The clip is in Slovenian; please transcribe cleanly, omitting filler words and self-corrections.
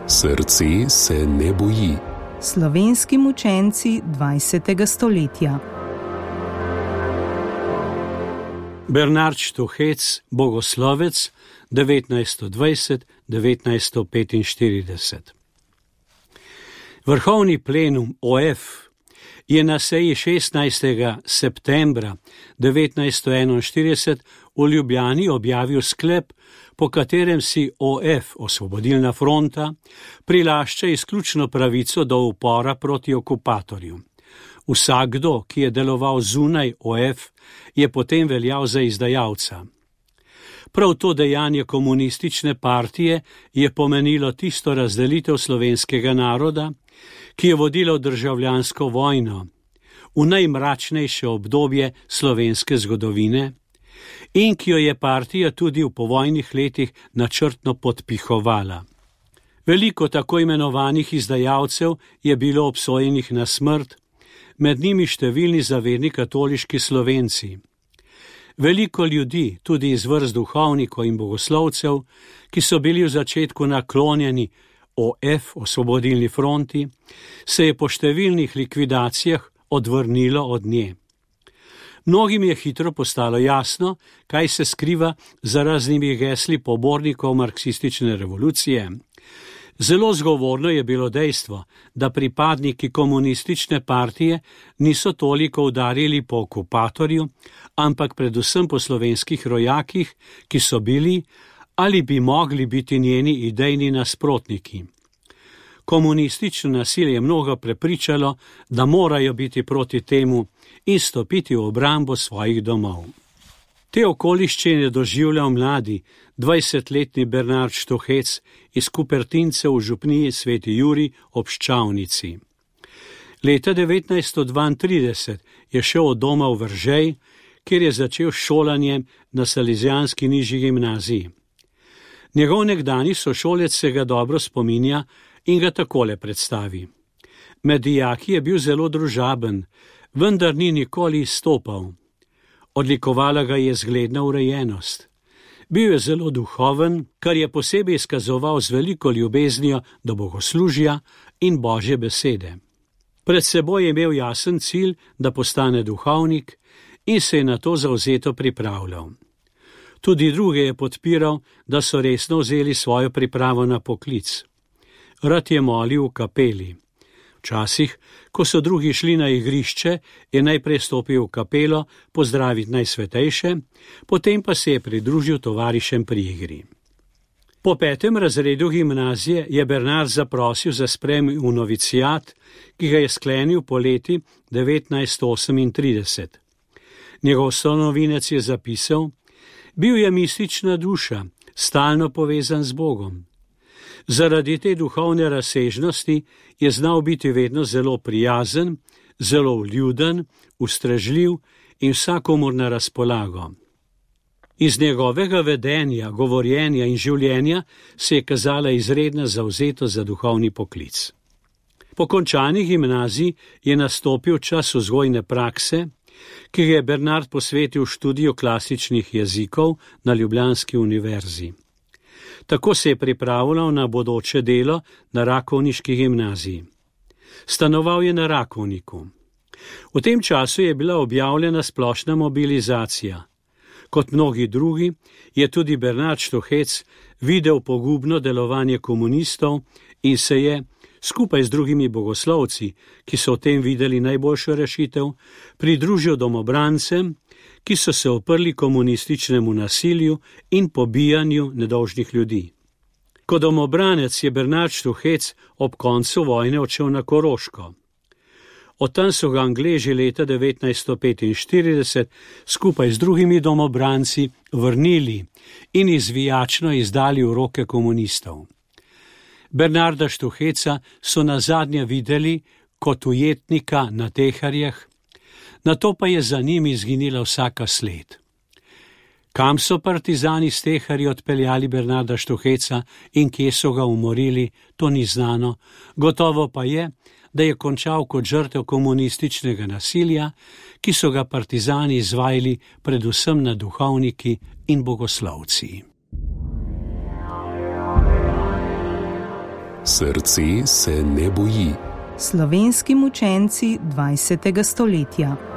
Srce se ne boji. Slovenski mučenci 20. stoletja. Bernard Štuhec, bogoslovec 1920-1945. Vrhovni plenum OF je na seji 16. septembra 1941 v Ljubljani objavil sklep, po katerem si OF, Osvobodilna fronta, prilašča izključno pravico do upora proti okupatorju. Vsakdo, ki je deloval zunaj OF, je potem veljal za izdajalca. Prav to dejanje komunistične partije je pomenilo tisto razdelitev slovenskega naroda, ki je vodilo državljansko vojno v najmračnejše obdobje slovenske zgodovine in ki jo je partija tudi v povojnih letih načrtno podpihovala. Veliko tako imenovanih izdajalcev je bilo obsojenih na smrt, med njimi številni zavedni katoliški Slovenci. Veliko ljudi, tudi iz vrst duhovnikov in bogoslovcev, ki so bili v začetku naklonjeni OF, Osvobodilni fronti, se je po številnih likvidacijah odvrnilo od nje. Mnogim je hitro postalo jasno, kaj se skriva za raznimi gesli pobornikov marksistične revolucije. Zelo zgovorno je bilo dejstvo, da pripadniki komunistične partije niso toliko udarili po okupatorju, ampak predvsem po slovenskih rojakih, ki so bili ali bi mogli biti njeni idejni nasprotniki. Komunistično nasilje je mnogo prepričalo, da morajo biti proti temu in stopiti v obrambo svojih domov. Te okoliščine doživljal mladi, 20-letni Bernard Štuhec iz Kupertince v župniji Sveti Jurij ob Ščavnici. Leta 1932 je šel od doma v Veržej, kjer je začel šolanje na Salezijanski nižji gimnaziji. Njegov nekdani sošolec se ga dobro spominja in ga takole predstavi. Med dijaki je bil zelo družaben, vendar ni nikoli izstopal. Odlikovala ga je zgledna urejenost. Bil je zelo duhoven, kar je posebej izkazoval z veliko ljubeznijo do bogoslužja in Božje besede. Pred seboj je imel jasen cilj, da postane duhovnik in se je na to zavzeto pripravljal. Tudi druge je podpiral, da so resno vzeli svojo pripravo na poklic. Rad je molil v kapeli. Včasih, ko so drugi šli na igrišče, je najprej stopil v kapelo pozdraviti najsvetejše, potem pa se je pridružil tovarišem pri igri. Po 5. razredu gimnazije je Bernard zaprosil za sprejem v novicijat, ki ga je sklenil poleti 1938. Njegov sonovinec je zapisal: bil je mistična duša, stalno povezan z Bogom. Zaradi te duhovne razsežnosti je znal biti vedno zelo prijazen, zelo vljuden, ustrežljiv in vsakomur na razpolago. Iz njegovega vedenja, govorjenja in življenja se je kazala izredna zavzetost za duhovni poklic. Po končani gimnaziji je nastopil čas vzgojne prakse, ki ga je Bernard posvetil študiju klasičnih jezikov na Ljubljanski univerzi. Tako se je pripravljal na bodoče delo na Rakovniški gimnaziji. Stanoval je na Rakovniku. V tem času je bila objavljena splošna mobilizacija. Kot mnogi drugi je tudi Bernard Štuhec videl pogubno delovanje komunistov in se je, skupaj z drugimi bogoslovci, ki so v tem videli najboljšo rešitev, pridružil domobrancem, ki so se oprli komunističnemu nasilju in pobijanju nedolžnih ljudi. Kot domobranec je Bernard Štuhec ob koncu vojne odšel na Koroško. Od tam so ga Angleži leta 1945 skupaj z drugimi domobranci vrnili in izvijačno izdali v roke komunistov. Bernarda Štuheca so nazadnje videli kot ujetnika na Teharjah, nato pa je za njim izginila vsaka sled. Kam so partizani s Teharji odpeljali Bernarda Štuheca in kje so ga umorili, to ni znano, gotovo pa je, da je končal kot žrtev komunističnega nasilja, ki so ga partizani izvajali predvsem nad duhovniki in bogoslovci. Srce se ne boji. Slovenski mučenci 20. stoletja.